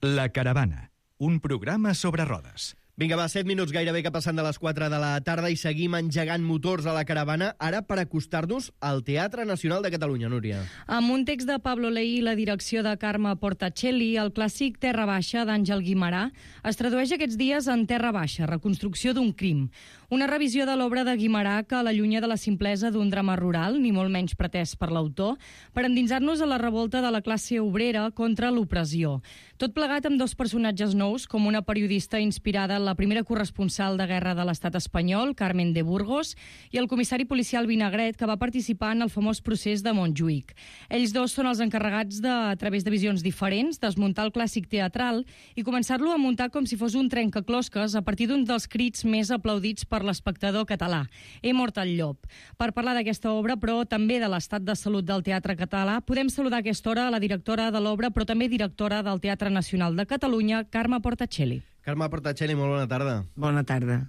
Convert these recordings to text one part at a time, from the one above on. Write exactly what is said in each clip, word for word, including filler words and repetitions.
La Caravana, un programa sobre rodes. Vinga, va, set minuts gairebé que passen de les quatre de la tarda i seguim engegant motors a la caravana, ara per acostar-nos al Teatre Nacional de Catalunya, Núria. Amb un text de Pablo Leí i la direcció de Carme Portacelli, el clàssic Terra Baixa d'Àngel Guimerà es tradueix aquests dies en Terra Baixa, reconstrucció d'un crim. Una revisió de l'obra de Guimerà que l'allunya de la simplesa d'un drama rural, ni molt menys pretès per l'autor, per endinsar-nos a la revolta de la classe obrera contra l'opressió. Tot plegat amb dos personatges nous, com una periodista inspirada en la primera corresponsal de guerra de l'estat espanyol, Carmen de Burgos, i el comissari policial Vinagret, que va participar en el famós procés de Montjuïc. Ells dos són els encarregats de, a través de visions diferents, desmuntar el clàssic teatral i començar-lo a muntar com si fos un trencaclosques a partir d'un dels crits més aplaudits per l'espectador català, He mort el llop. Per parlar d'aquesta obra, però també de l'estat de salut del teatre català, podem saludar a aquesta hora la directora de l'obra, però també directora del Teatre Nacional de Catalunya, Carme Portacelli. Carme Portacelli, molt bona tarda. Bona tarda.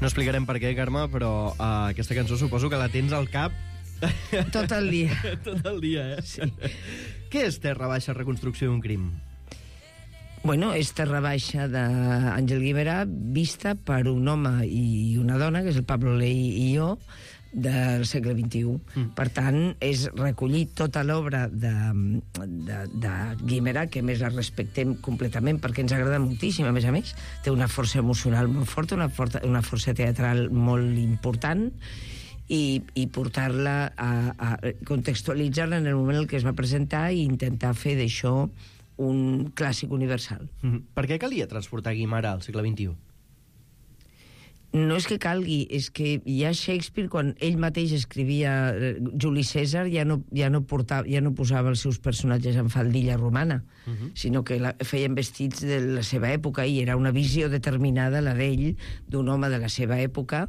No explicarem per què, Carme, però uh, aquesta cançó suposo que la tens al cap tot el dia. Tot el dia, eh? Sí. Què és Terra Baixa, reconstrucció d'un crim? Bueno, és Terra Baixa d'Àngel Guimerà, vista per un home i una dona, que és el Pablo Leí i jo, del segle vint-i-u. Mm. Per tant, és recollir tota l'obra de, de, de Guimerà, que a més la respectem completament perquè ens agrada moltíssim, a més a més. Té una força emocional molt forta, una, forta, una força teatral molt important, i, i portar-la a, a contextualitzar-la en el moment en què es va presentar i intentar fer d'això un clàssic universal. Mm-hmm. Per què calia transportar Guimerà al segle vint-i-u? No és que calgui, és que ja Shakespeare, quan ell mateix escrivia Juli Cèsar, ja no, ja no, portava, ja no posava els seus personatges en faldilla romana, uh-huh. sinó que la, feien vestits de la seva època, i era una visió determinada, la d'ell, d'un home de la seva època,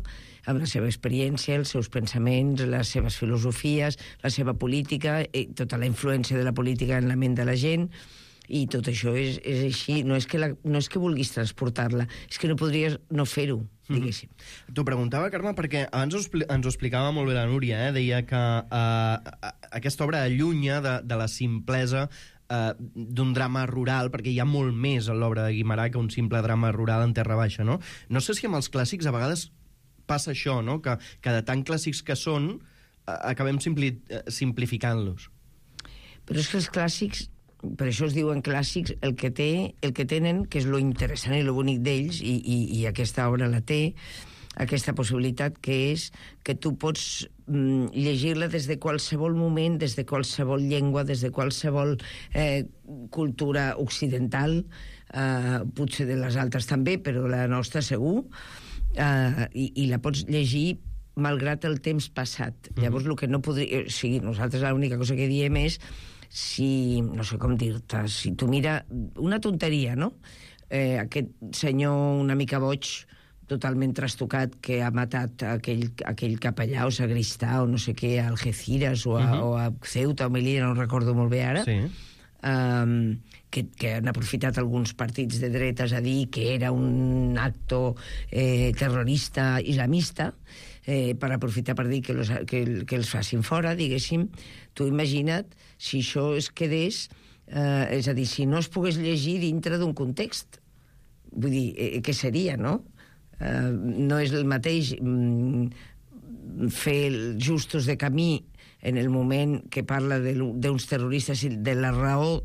amb la seva experiència, els seus pensaments, les seves filosofies, la seva política, tota la influència de la política en la ment de la gent. I tot això és, és així. No és, que la, no és que vulguis transportar-la, és que no podries no fer-ho, diguéssim. Mm-hmm. T'ho preguntava, Carme, perquè abans ens ho explicava molt bé la Núria, eh? Deia que uh, aquesta obra allunya de, de la simplesa uh, d'un drama rural, perquè hi ha molt més a l'obra de Guimerà que un simple drama rural en Terra Baixa, no? No sé si amb els clàssics a vegades passa això, no? Que, que de tan clàssics que són, uh, acabem simpli, uh, simplificant-los. Però és que els clàssics, per això es diuen clàssics, el que, té, el que tenen, que és lo interessant i lo bonic d'ells, i, i, i aquesta obra la té, aquesta possibilitat, que és que tu pots mm, llegir-la des de qualsevol moment, des de qualsevol llengua, des de qualsevol eh, cultura occidental, eh, potser de les altres també, però la nostra segur, eh, i, i la pots llegir malgrat el temps passat. Mm-hmm. Llavors, el que no podria... O sigui, nosaltres l'única cosa que diem és si, no sé com dir-te, si tu mira una tonteria, no? Eh, aquest senyor una mica boig, totalment trastocat, que ha matat aquell, aquell capellà o sagristà o no sé què, a Algeciras o a, uh-huh. o a Ceuta o Melilla, no recordo molt bé ara, sí. um, que, que han aprofitat alguns partits de dretes a dir que era un acto eh, terrorista islamista, Eh, per aprofitar per dir que, los, que, que els facin fora, diguéssim. Tu imagina't si això es quedés, eh, és a dir, si no es pogués llegir dintre d'un context. Vull dir, eh, què seria, no? Eh, no és el mateix mm, fer el Justos de Camí en el moment que parla d'uns terroristes i de la raó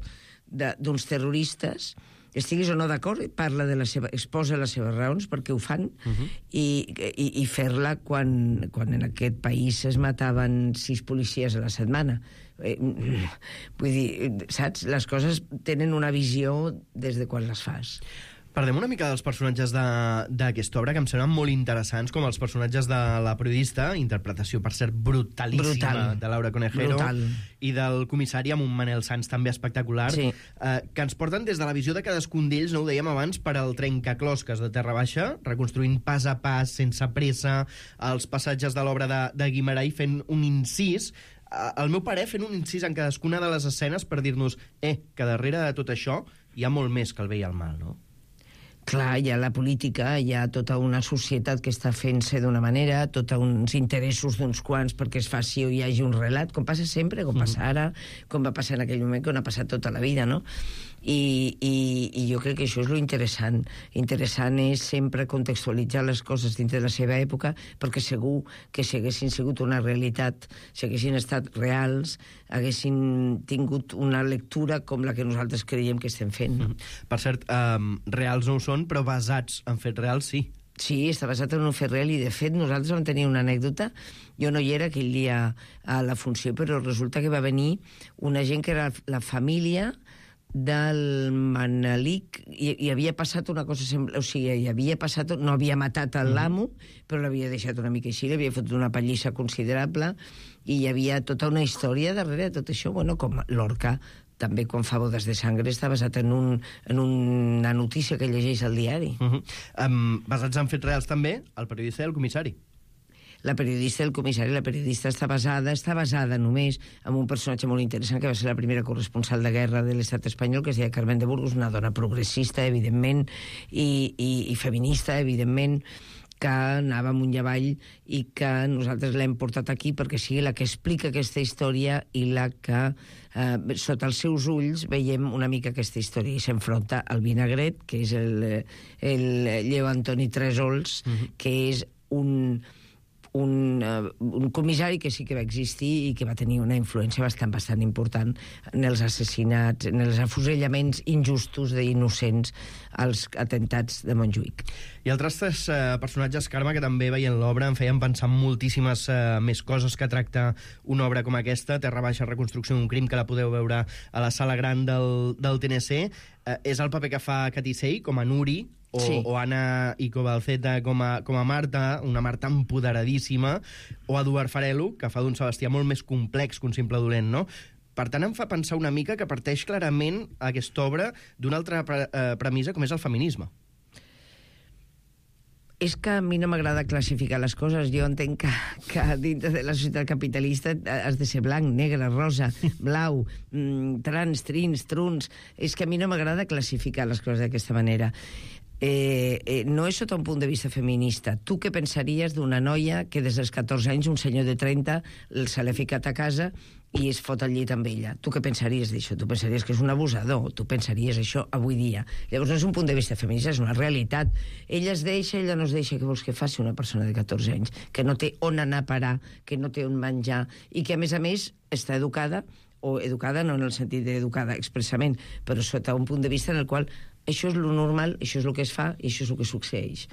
d'uns terroristes, estiguis o no d'acord, parla de la seva, exposa les seves raons perquè ho fan, uh-huh. i, i, i fer-la quan, quan en aquest país es mataven sis policies a la setmana. Eh, vull dir, saps? Les coses tenen una visió des de quan les fas. Parlem una mica dels personatges d'aquesta obra, que em semblen molt interessants, com els personatges de la periodista, interpretació, per cert, brutalíssima, Brutal. de Laura Conejero, Brutal. i del comissari, amb un Manel Sanz també espectacular, sí. eh, que ens porten des de la visió de cadascun d'ells, no ho dèiem abans, per al trencaclosques de Terra Baixa, reconstruint pas a pas, sense pressa, els passatges de l'obra de, de Guimarà i fent un incís, al meu parer, fent un incís en cadascuna de les escenes per dir-nos eh, que darrere de tot això hi ha molt més que el bé i el mal, no? Clar, hi ha la política, hi ha tota una societat que està fent-se d'una manera, tots uns interessos d'uns quants perquè es faci o hi hagi un relat, com passa sempre, com passa ara, com va passar en aquell moment, com ha passat tota la vida, no? I, i, i jo crec que això és lo interessant. Interessant és sempre contextualitzar les coses dintre de la seva època, perquè segur que si haguessin sigut una realitat, si haguessin estat reals, haguessin tingut una lectura com la que nosaltres creiem que estem fent. No? Per cert, um, reals no ho són, però basats en fets reals, sí. Sí, està basat en un fet real i, de fet, nosaltres vam tenir una anècdota. Jo no hi era aquell dia a la funció, però resulta que va venir una gent que era la família del Manelic, i, i havia passat una cosa semblant, o sigui, hi havia passat, no havia matat l'amo, però l'havia deixat una mica així, l'havia fotut una pallissa considerable, i hi havia tota una història darrere de tot això, bueno, com Lorca també quan fa Bodes de Sangre està basat en, un, en una notícia que llegeix al diari. Uh -huh. um, basats en fets reals també, el periodista i el comissari. La periodista i el comissari, la periodista està basada, està basada només en un personatge molt interessant que va ser la primera corresponsal de guerra de l'estat espanyol, que es deia Carmen de Burgos, una dona progressista, evidentment, i, i, i feminista, evidentment, que anava amunt i avall i que nosaltres l'hem portat aquí perquè sigui la que explica aquesta història i la que, eh, sota els seus ulls, veiem una mica aquesta història i s'enfronta al vinagret, que és el, el Lleó Antoni Trésols, uh-huh. que és un... Un, uh, un comissari que sí que va existir i que va tenir una influència bastant bastant important en els assassinats, en els afusellaments injustos d'innocents als atentats de Montjuïc. I altres tres uh, personatges, Carme, que també veient l'obra em feien pensar en moltíssimes uh, més coses que tracta una obra com aquesta, Terra Baixa, reconstrucció d'un crim, que la podeu veure a la sala gran del, del T N C. Uh, és el paper que fa Catisei, com a Nuri, o, sí. o Anna Icobalceta com a, com a Marta, una Marta empoderadíssima, o Eduard Farelo, que fa d'un Sebastià molt més complex que un simple dolent, no? Per tant, em fa pensar una mica que parteix clarament aquesta obra d'una altra pre eh, premissa, com és el feminisme. És que a mi no m'agrada classificar les coses. Jo entenc que, que dintre de la societat capitalista has de ser blanc, negre, rosa, blau, mmm, trans, trins, truns... És que a mi no m'agrada classificar les coses d'aquesta manera. Eh, eh, no és sota un punt de vista feminista. Tu què pensaries d'una noia que des dels catorze anys un senyor de trenta se l'ha ficat a casa i es fot al llit amb ella? Tu què pensaries d'això? Tu pensaries que és un abusador? Tu pensaries això avui dia? Llavors no és un punt de vista feminista, és una realitat. Ella es deixa, ella no es deixa. Què vols que faci una persona de catorze anys? Que no té on anar a parar, que no té on menjar i que, a més a més, està educada, o educada no en el sentit d'educada expressament, però sota un punt de vista en el qual això és lo normal, això és el que es fa i això és el que succeeix.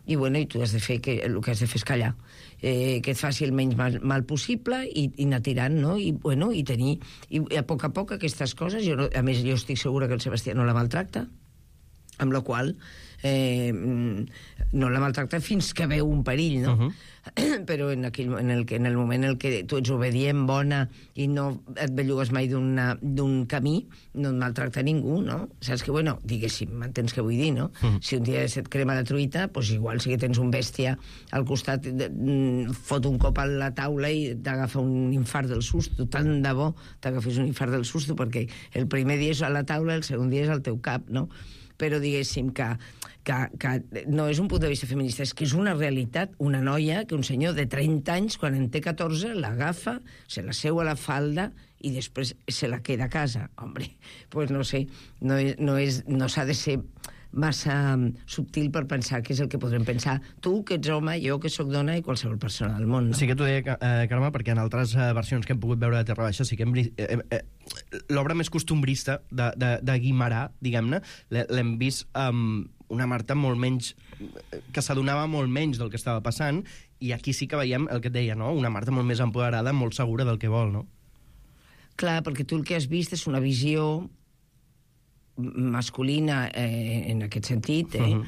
I, bueno, i tu has de fer que, el que has de fer és callar, eh, que et faci el menys mal, mal possible i, i anar tirant, no? I, bueno, i tenir... I a poc a poc aquestes coses... Jo no, a més, jo estic segura que el Sebastià no la maltracta, amb la qual eh, no la maltracta fins que veu un perill, no? Uh-huh. Però en, aquell, en, el, en el moment en què tu ets obedient, bona, i no et bellugues mai d'un camí, no et maltracta ningú, no? Saps que, bueno, diguéssim, m'entens què vull dir, no? Uh-huh. Si un dia se't crema la truita, doncs igual si que tens un bèstia al costat, fot un cop a la taula i t'agafa un infart del susto. Tant de bo t'agafes un infart del susto, perquè el primer dia és a la taula, el segon dia és al teu cap, no? Però diguéssim que, que, que no és un punt de vista feminista, és que és una realitat. Una noia que un senyor de trenta anys, quan en té catorze, l'agafa, se la seu a la falda i després se la queda a casa. Hombre, pues no sé, no, és, no, és, no s'ha de ser massa subtil per pensar que és el que podrem pensar tu, que ets home, jo, que sóc dona i qualsevol persona del món, no? Sí que t'ho deia, eh, Carme, perquè en altres eh, versions que hem pogut veure de Terra Baixa sí que hem, eh, eh, l'obra més costumbrista de, de, de Guimarà, diguem-ne, l'hem vist amb una Marta molt menys, que s'adonava molt menys del que estava passant, i aquí sí que veiem el que et deia, no? Una Marta molt més empoderada, molt segura del que vol, no? Clar, perquè tu el que has vist és una visió masculina, eh, en aquest sentit, eh, Uh-huh.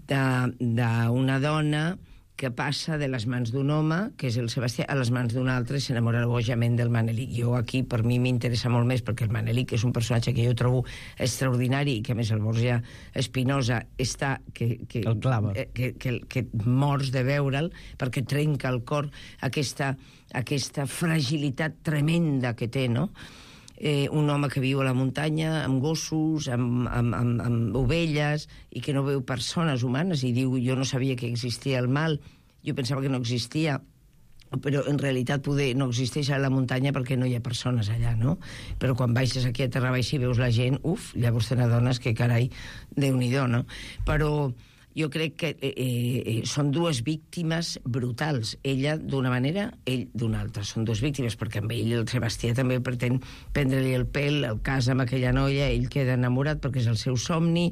d'una dona que passa de les mans d'un home, que és el Sebastià, a les mans d'un altre i s'enamora bojament del Manelic. Jo aquí, per mi, m'interessa molt més, perquè el Manelic és un personatge que jo trobo extraordinari i que, a més, el Borja Espinosa està... Que, que, el clava. Que, que, que mors de veure'l, perquè trenca el cor aquesta, aquesta fragilitat tremenda que té, no?, Eh, un home que viu a la muntanya amb gossos, amb, amb, amb, amb ovelles, i que no veu persones humanes, i diu, jo no sabia que existia el mal, jo pensava que no existia, però en realitat poder no existeix a la muntanya perquè no hi ha persones allà, no? Però quan baixes aquí a Terra Baixa i veus la gent, uf, llavors te n'adones que, carai, Déu-n'hi-do, no? Però jo crec que eh, eh, són dues víctimes brutals. Ella d'una manera, ell d'una altra. Són dues víctimes, perquè amb ell el Sebastià també pretén prendre-li el pèl, el casa amb aquella noia, ell queda enamorat perquè és el seu somni,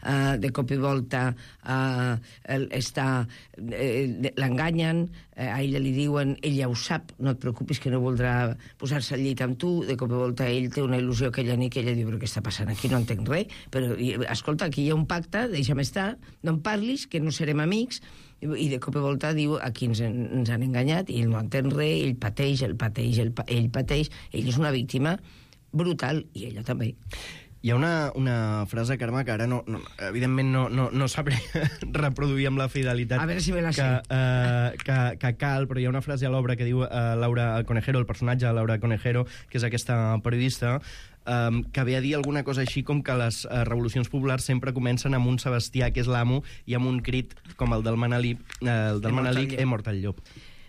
uh, de cop i volta uh, està, uh, l'enganyen, uh, a ella li diuen, ella ho sap, no et preocupis que no voldrà posar-se al llit amb tu, de cop i volta ell té una il·lusió aquella nit que ella diu, però què està passant aquí, no entenc res, però escolta, aquí hi ha un pacte, deixa'm estar, no em parlis, que no serem amics, i de cop i volta diu, aquí ens, ens han enganyat, i ell no entén res, ell pateix, ell pateix, ell, ell pateix, ell és una víctima brutal, i ella també. Hi ha una, una frase, Carme, que ara no, no, evidentment no, no, no sabré reproduir amb la fidelitat a veure si me la que, sé. uh, que, que cal, però hi ha una frase a l'obra que diu uh, Laura Conejero, el personatge de Laura Conejero, que és aquesta periodista, um, que ve a dir alguna cosa així com que les uh, revolucions populars sempre comencen amb un Sebastià, que és l'amo, i amb un crit com el del Manelic, uh, el del Manelic, he mort el llop.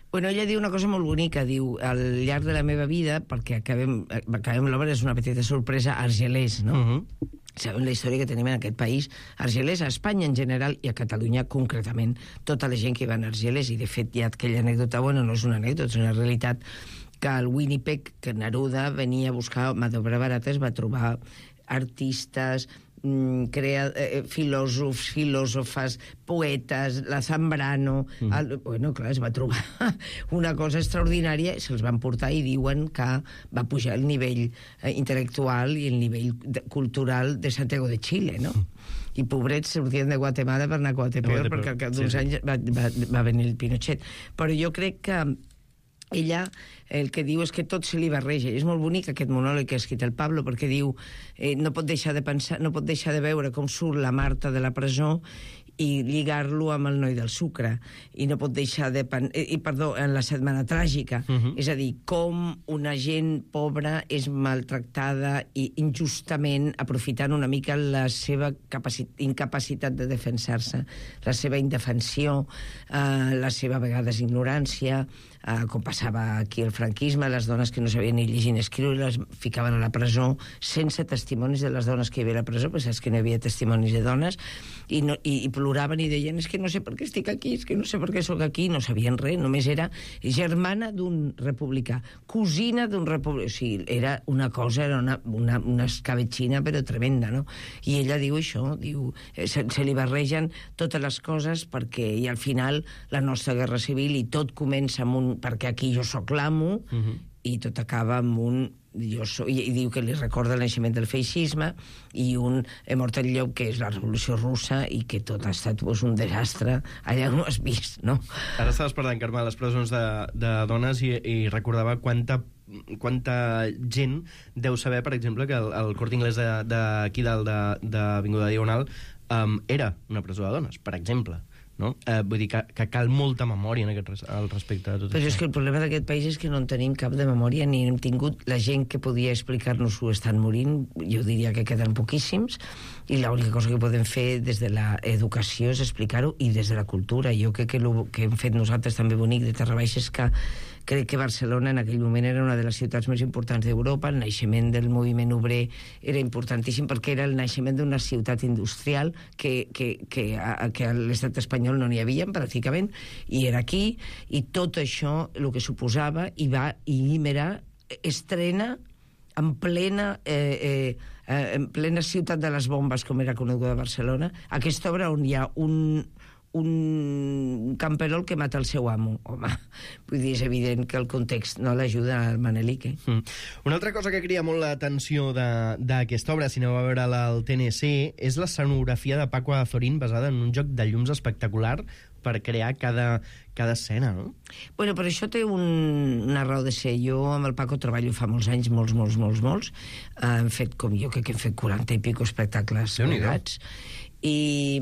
Bueno, ella diu una cosa molt bonica, diu, al llarg de la meva vida, perquè acabem, acabem l'obra, és una petita sorpresa, Argelers, no? Uh-huh. Sabem la història que tenim en aquest país. Argelers, a Espanya en general i a Catalunya concretament. Tota la gent que va a Argelers, i de fet hi ha aquella anècdota, bueno, no és una anècdota, és una realitat, que al Winnipeg, que Neruda venia a buscar mà d'obra barata, es va trobar artistes, crea, eh, filòsofs, filòsofes, poetes, la Zambrano... Mm. El, bueno, clar, es va trobar una cosa extraordinària, se'ls van portar i diuen que va pujar el nivell eh, intel·lectual i el nivell de, cultural de Santiago de Chile, no? I pobrets sortien de Guatemala per anar a Guatepeor, perquè al cap d'uns sí, anys va, va, va venir el Pinochet. Però jo crec que ella el que diu és que tot se li barreja. És molt bonic aquest monòleg que ha escrit el Pablo, perquè diu eh, no pot deixar de pensar, no pot deixar de veure com surt la Marta de la presó i lligar-lo amb el noi del sucre, i no pot deixar de... Pen... I, perdó, en la setmana tràgica. Uh-huh. És a dir, com una gent pobra és maltractada i injustament aprofitant una mica la seva capacitat, incapacitat de defensar-se, la seva indefensió, eh, la seva a vegades ignorància, eh, com passava aquí el franquisme, les dones que no sabien ni llegir ni escriure les ficaven a la presó sense testimonis de les dones que hi havia a la presó, perquè saps que no hi havia testimonis de dones, i, no, i, i ploraven i deien, és que no sé per què estic aquí, és que no sé per què sóc aquí, no sabien res, només era germana d'un republicà, cosina d'un republicà, o sigui, era una cosa, era una, una, una escabetxina però tremenda, no? I ella diu això, diu, se, se li barregen totes les coses perquè, i al final, la nostra guerra civil, i tot comença amb un, perquè aquí jo sóc l'amo, uh-huh. i tot acaba amb un jo soy, i diu que li recorda el naixement del feixisme, i un he mort el llop, que és la revolució russa, i que tot ha estat pues, un desastre allà on ho has vist, no? Ara estaves parlant, Carme, de les presons de, de dones, i, i recordava quanta quanta gent deu saber, per exemple, que el, el Corte Inglés d'aquí dalt de, de Avinguda Diagonal um, era una presó de dones, per exemple. No? Eh, vull dir que, que cal molta memòria en aquest res, al respecte de tot Però això. és que el problema d'aquest país és que no en tenim cap de memòria, ni hem tingut la gent que podia explicar-nos-ho estan morint, jo diria que queden poquíssims, i l'única cosa que podem fer des de l'educació és explicar-ho, i des de la cultura. Jo crec que el que hem fet nosaltres també bonic de Terra Baixa és que crec que Barcelona en aquell moment era una de les ciutats més importants d'Europa, el naixement del moviment obrer era importantíssim perquè era el naixement d'una ciutat industrial que, que, que, a, que a l'estat espanyol no n'hi havia pràcticament, i era aquí, i tot això el que suposava, i va, i Guimerà estrena en plena eh, eh, en plena ciutat de les bombes, com era coneguda a Barcelona, aquesta obra on hi ha un un camperol que mata el seu amo. Home, vull dir, és evident que el context no l'ajuda al Manelique. Mm. Una altra cosa que cria molt l'atenció d'aquesta obra, si aneu a veure al T N C, és l'escenografia de Paco Azorín basada en un joc de llums espectacular per crear cada, cada escena, no? Bueno, però això té un, una raó de ser. Jo amb el Paco treballo fa molts anys, molts, molts, molts, molts. Uh, hem fet, com jo crec que hem fet quaranta i pico espectacles plegats. I...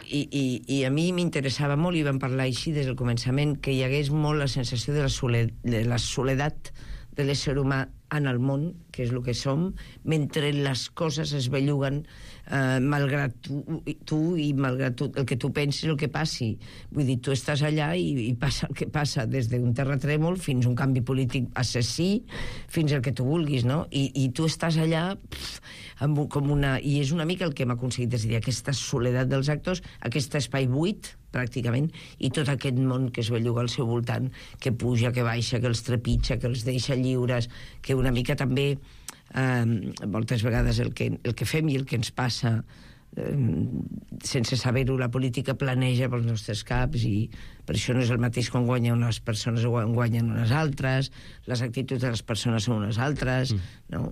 I, i, i a mi m'interessava molt, i vam parlar així des del començament, que hi hagués molt la sensació de la, soled, de la soledat de l'ésser humà en el món, que és el que som, mentre les coses es belluguen, eh, malgrat tu, tu i malgrat tu, el que tu pensis, el que passi. Vull dir, tu estàs allà i, i passa el que passa, des d'un terratrèmol fins a un canvi polític assassí, fins al que tu vulguis, no? I, i tu estàs allà pff, amb, com una... I és una mica el que hem aconseguit, és a dir, aquesta soledat dels actors, aquest espai buit, pràcticament, i tot aquest món que es belluga al seu voltant, que puja, que baixa, que els trepitja, que els deixa lliures, que una mica també, eh, moltes vegades el que, el que fem i el que ens passa, eh, sense saber-ho, la política planeja pels nostres caps, i per això no és el mateix quan guanyen unes persones o quan guanyen unes altres, les actituds de les persones són unes altres, mm. no?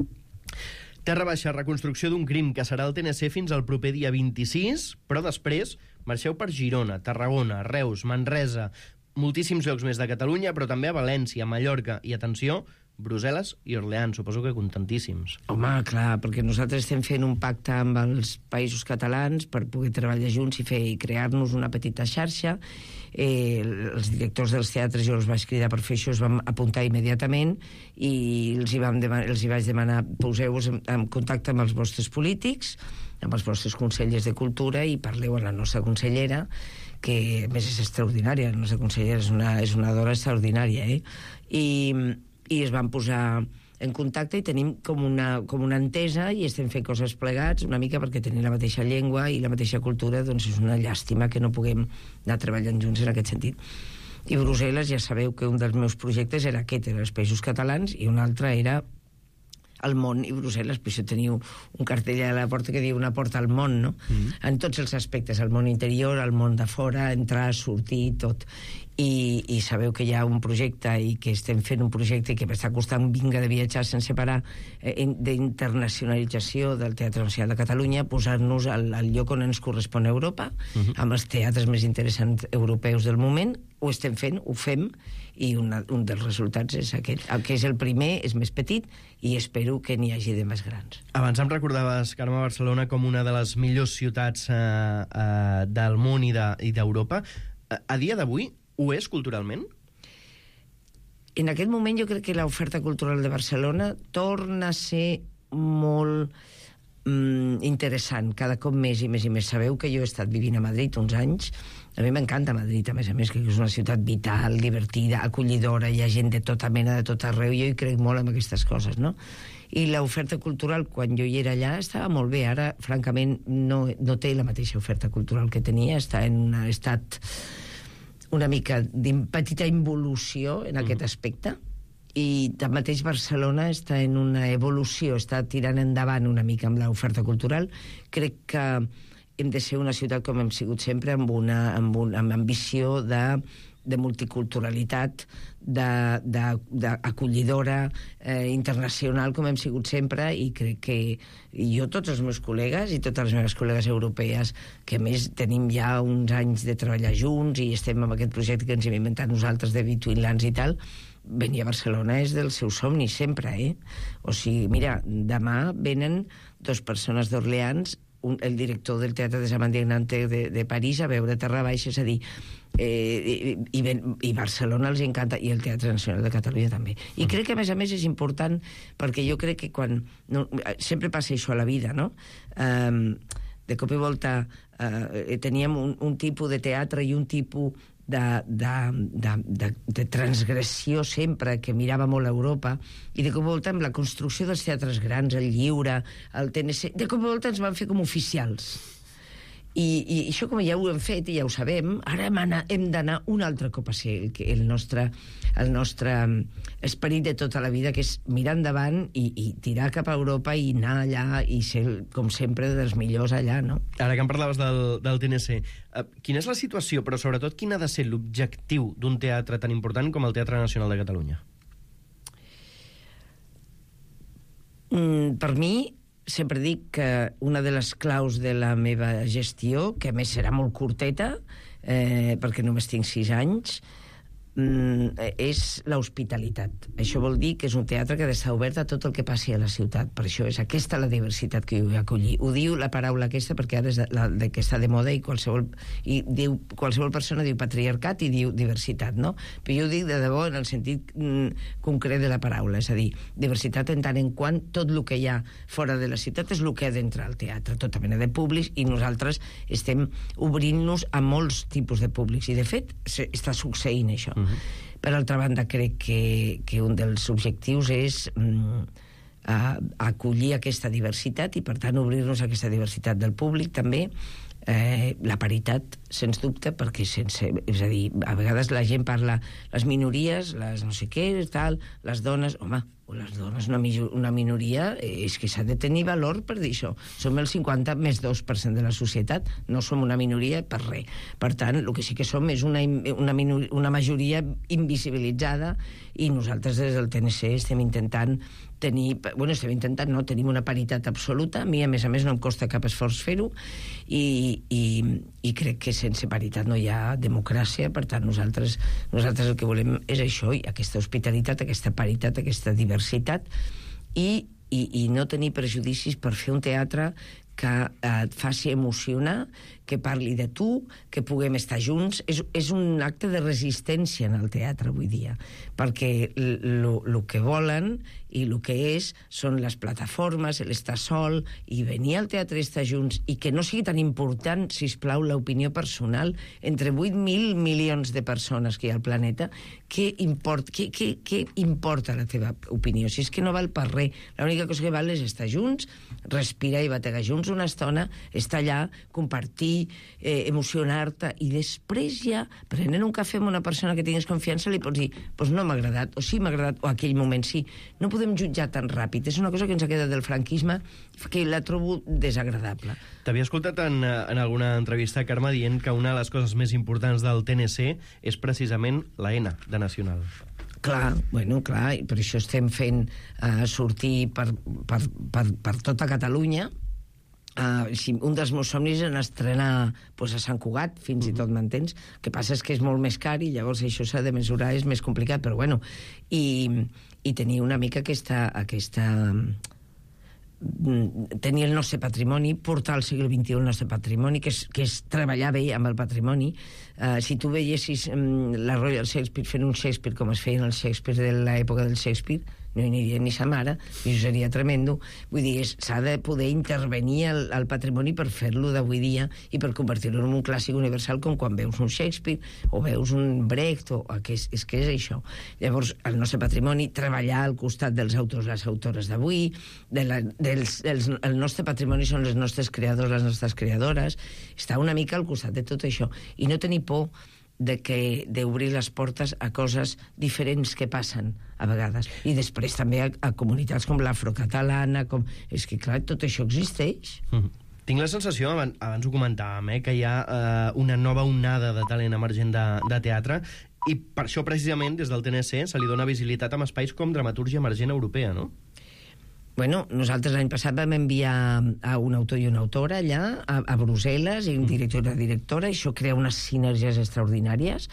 Terra Baixa, reconstrucció d'un crim, que serà al T N C fins al proper dia vint-i-sis, però després marxeu per Girona, Tarragona, Reus, Manresa, moltíssims llocs més de Catalunya, però també a València, Mallorca i, atenció, Brussel·les i Orleans. Suposo que contentíssims. Home, clar, perquè nosaltres estem fent un pacte amb els països catalans per poder treballar junts i fer i crear-nos una petita xarxa. Eh, els directors dels teatres, jo els vaig cridar per fer això, es van apuntar immediatament i els hi, vam demanar, els hi vaig demanar, poseu-vos en, en contacte amb els vostres polítics, amb els vostres consellers de cultura, i parleu amb la nostra consellera, que a més és extraordinària. La nostra consellera és una, és una dona extraordinària, eh? I, i es van posar en contacte i tenim com una, com una entesa i estem fent coses plegats, una mica perquè tenim la mateixa llengua i la mateixa cultura, doncs és una llàstima que no puguem anar treballant junts en aquest sentit. I Brussel·les, ja sabeu que un dels meus projectes era aquest, era els països catalans, i un altre era el món i Brussel·les, per això teniu un cartell a la porta que diu una porta al món, no? Mm. En tots els aspectes, el món interior, el món de fora, entrar, sortir, tot. I, i sabeu que hi ha un projecte i que estem fent un projecte que m'està costant vinga de viatjar sense parar, eh, d'internacionalització del Teatre Nacional de Catalunya, posar-nos al, al lloc on ens correspon a Europa, mm-hmm. amb els teatres més interessants europeus del moment. Ho estem fent, ho fem, i una, un dels resultats és aquest. El que és el primer és més petit i espero que n'hi hagi de més grans. Abans em recordaves, Carme, Barcelona com una de les millors ciutats eh, eh, del món i d'Europa. De, a dia d'avui ho és culturalment? En aquest moment jo crec que l'oferta cultural de Barcelona torna a ser molt mm, interessant, cada cop més i més i més. Sabeu que jo he estat vivint a Madrid uns anys. A mi m'encanta Madrid, a més a més, que és una ciutat vital, divertida, acollidora, hi ha gent de tota mena, de tot arreu. Jo hi crec molt en aquestes coses, no? I l'oferta cultural, quan jo hi era allà, estava molt bé. Ara, francament, no, no té la mateixa oferta cultural que tenia. Està en un estat una mica de petita involució en aquest aspecte. I tanmateix Barcelona està en una evolució, està tirant endavant una mica amb l'oferta cultural. Crec que hem de ser una ciutat com hem sigut sempre, amb una amb, un, amb ambició de, de multiculturalitat, d'acollidora, eh, internacional, com hem sigut sempre, i crec que jo, tots els meus col·legues i totes les meves col·legues europees, que a més tenim ja uns anys de treballar junts i estem amb aquest projecte que ens hem inventat nosaltres de Between Lands i tal, venir a Barcelona és del seu somni sempre, eh? O sigui, mira, demà venen dos persones d'Orleans, Un, el director del Teatre de Sant Indignante de, de París a veure Terra Baixa, és a dir, eh, i, i, i Barcelona els encanta, i el Teatre Nacional de Catalunya també. I crec que, a més a més, és important, perquè jo crec que quan... No, sempre passa això a la vida, no? Um, de cop i volta uh, teníem un, un tipus de teatre i un tipus de, de, de, de, de transgressió sempre, que mirava molt a Europa, i de cop i volta amb la construcció dels teatres grans, el Lliure, el T N C, de cop i volta ens van fer com oficials. I, i això, com ja ho hem fet i ja ho sabem, ara hem, anar, hem d'anar un altre cop a ser el, el, nostre, el nostre esperit de tota la vida, que és mirar endavant i, i tirar cap a Europa i anar allà i ser, com sempre, dels millors allà, no? Ara que em parlaves del, del T N C, uh, quina és la situació, però sobretot quin ha de ser l'objectiu d'un teatre tan important com el Teatre Nacional de Catalunya? Mm, per mi, sempre dic que una de les claus de la meva gestió, que a més serà molt curteta, eh, perquè només tinc sis anys, mm, és l'hospitalitat. Això vol dir que és un teatre que ha d'estar obert a tot el que passi a la ciutat. Per això és aquesta la diversitat que jo vull acollir. Ho diu la paraula aquesta perquè ara és la, de que està de moda i qualsevol, i diu, qualsevol persona diu patriarcat i diu diversitat, no? Però jo ho dic de debò en el sentit mm, concret de la paraula, és a dir, diversitat en tant en quant tot el que hi ha fora de la ciutat és el que ha d'entrar al teatre, tota mena de públics, i nosaltres estem obrint-nos a molts tipus de públics, i de fet està succeint això. Uh-huh. Per altra banda, crec que, que un dels objectius és mm, a, acollir aquesta diversitat i, per tant, obrir-nos a aquesta diversitat del públic, també eh, la paritat, sens dubte, perquè sense... És a dir, a vegades la gent parla les minories, les no sé què, tal, les dones... Home, les dones, una, una minoria, és que s'ha de tenir valor per dir això. Som el cinquanta més dos per cent de la societat, no som una minoria per res. Per tant, el que sí que som és una, una, minor, una majoria invisibilitzada, i nosaltres des del T N C estem intentant tenir... Bueno, estem intentant, no, tenim una paritat absoluta. A mi, a més a més, no em costa cap esforç fer-ho, i, i, i crec que sense paritat no hi ha democràcia. Per tant, nosaltres, nosaltres el que volem és això, i aquesta hospitalitat, aquesta paritat, aquesta diversitat, i, i, i no tenir prejudicis per fer un teatre que eh, et faci emocionar, que parli de tu, que puguem estar junts. És, és un acte de resistència en el teatre avui dia, perquè el que volen i el que és són les plataformes, l'estar sol, i venir al teatre i estar junts, i que no sigui tan important, sisplau, l'opinió personal entre vuit mil milions de persones que hi ha al planeta. Què import, què, què, què importa la teva opinió? Si és que no val per res. L'única cosa que val és estar junts, respirar i bategar junts una estona, estar allà, compartir, eh, emocionar-te, i després ja, prenent un cafè amb una persona que tinguis confiança, li pots dir, doncs no m'ha agradat, o sí m'ha agradat, o aquell moment sí. No podem jutjar tan ràpid. És una cosa que ens ha quedat del franquisme, que la trobo desagradable. T'havia escoltat en, en alguna entrevista, Carme, dient que una de les coses més importants del T N C és precisament la N de Nacional. Clar, bueno, clar, i per això estem fent uh, sortir per, per, per, per tota Catalunya. Uh, si un dels meus somnis és estrenar pues, a Sant Cugat, fins uh-huh. i tot, m'entens? El que passa és que és molt més car i llavors això s'ha de mesurar, és més complicat, però bueno, i, i tenir una mica aquesta, aquesta tenir el nostre patrimoni, portar al segle vint-i-u el nostre patrimoni, que és, que és treballar bé amb el patrimoni. Uh, si tu veiessis um, la Royal Shakespeare fent un Shakespeare com es feien el Shakespeare de l'època del Shakespeare, no hi aniria ni sa mare, i això seria tremendo. Vull dir, s'ha de poder intervenir al, al patrimoni per fer-lo d'avui dia i per convertir-lo en un clàssic universal, com quan veus un Shakespeare o veus un Brecht, o, o que és, és que és això. Llavors, el nostre patrimoni, treballar al costat dels autors i les autores d'avui, de la, dels, dels, el nostre patrimoni són els nostres creadors, les nostres creadores, estar una mica al costat de tot això, i no tenir por de que d'obrir les portes a coses diferents que passen a vegades, i després també a, a comunitats com l'afrocatalana, com... és que clar, tot això existeix. Mm-hmm. Tinc la sensació, abans, abans ho comentàvem, eh, que hi ha eh, una nova onada de talent emergent de, de teatre, i per això precisament des del T N C se li dona visibilitat amb espais com Dramatúrgia Emergent Europea, no? Bueno, nosaltres l'any passat vam enviar a un autor i una autora allà, a, a Brussel·les, i un director i una directora, i això crea unes sinergies extraordinàries,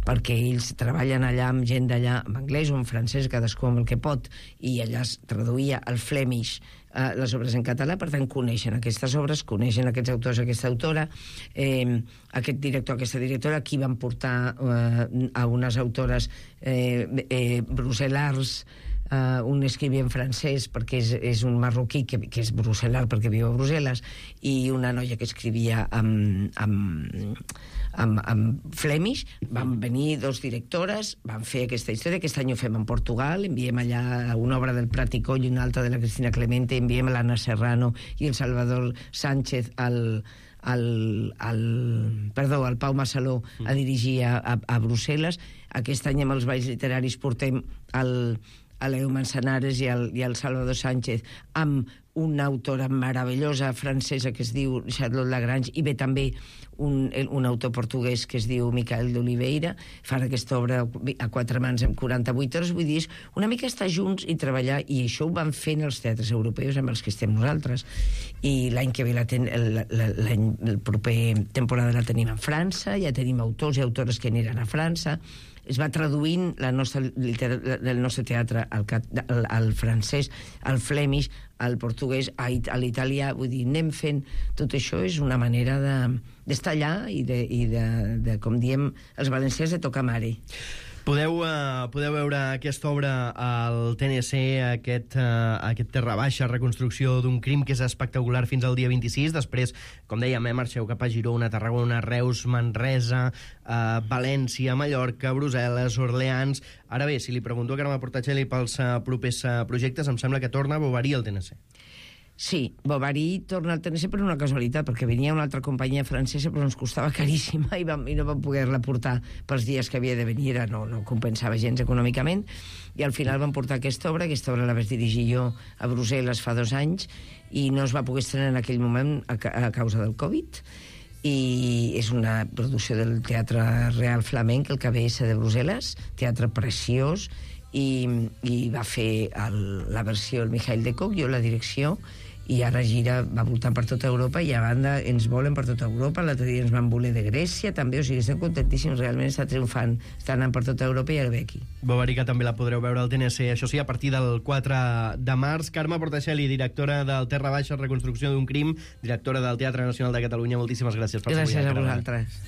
perquè ells treballen allà amb gent d'allà, en anglès o en francès, cadascú amb el que pot, i allà es traduïa al Flemish eh, les obres en català, per tant coneixen aquestes obres, coneixen aquests autors, aquesta autora, eh, aquest director, aquesta directora, aquí van portar eh, a unes autores eh, eh, brussel·lars, Uh, un escrivent francès perquè és, és un marroquí que, que és brussel·lar perquè viu a Brussel·les, i una noia que escrivia amb, amb, amb, amb Flemish. Van venir dos directores, van fer aquesta història. Aquest any ho fem en Portugal, enviem allà una obra del Prat i Coll i una altra de la Cristina Clemente, enviem l'Anna Serrano i el Salvador Sánchez al al, al, perdó, al Pau Massaló a dirigir a, a, a Brussel·les. Aquest any amb els Balls Literaris portem el, a l'Eu Manzanares i el, i el Salvador Sánchez amb una autora meravellosa francesa que es diu Charlotte Lagrange, i ve també un, un autor portuguès que es diu Micael d'Oliveira. Fan aquesta obra a quatre mans en quaranta-vuit hores. Vull dir, és una mica estar junts i treballar, i això ho van fent els teatres europeus amb els que estem nosaltres. I l'any que ve la ten, el, l'any, el proper temporada la tenim a França, ja tenim autors i autores que aniran a França. Es va traduint la nostra, el nostre teatre al, al, al francès, al flemish, al portuguès, a, a l'italià. Vull dir, anem fent... Tot això és una manera de, d'estar allà i, de, i de, de, com diem els valencians, de tocar mare. Podeu, uh, podeu veure aquesta obra al T N C, aquest, uh, aquest Terra Baixa, reconstrucció d'un crim, que és espectacular fins al dia vint-i-sis. Després, com dèiem, eh, marxeu cap a Girona, Tarragona, Reus, Manresa, uh, València, Mallorca, Brussel·les, Orleans... Ara bé, si li pregunto a Carme Portacelli pels uh, propers uh, projectes, em sembla que torna a Bovary al T N C. Sí, Bovary torna al T N C per una casualitat, perquè venia una altra companyia francesa, però ens costava caríssima i, vam, i no vam poder-la portar pels dies que havia de venir, era, no, no compensava gens econòmicament, i al final vam portar aquesta obra. Aquesta obra la vaig dirigir jo a Brussel·les fa dos anys, i no es va poder estrenar en aquell moment a, a causa del Covid, i és una producció del Teatre Real Flamenc, el K B S de Brussel·les, teatre preciós, i, i va fer el, la versió el Mikhail de Koch, jo la direcció, i ara gira, va voltant per tota Europa, i a banda ens volen per tota Europa. L'altre dia ens van voler de Grècia també, o sigui, estem contentíssims, realment està triomfant, està anant per tota Europa i ara ve aquí. Bovary, que també la podreu veure al T N C, això sí, a partir del quatre de març. Carme Portacelli, directora del Terra Baixa, reconstrucció d'un crim, directora del Teatre Nacional de Catalunya, moltíssimes gràcies per ser avui. Gràcies a vosaltres.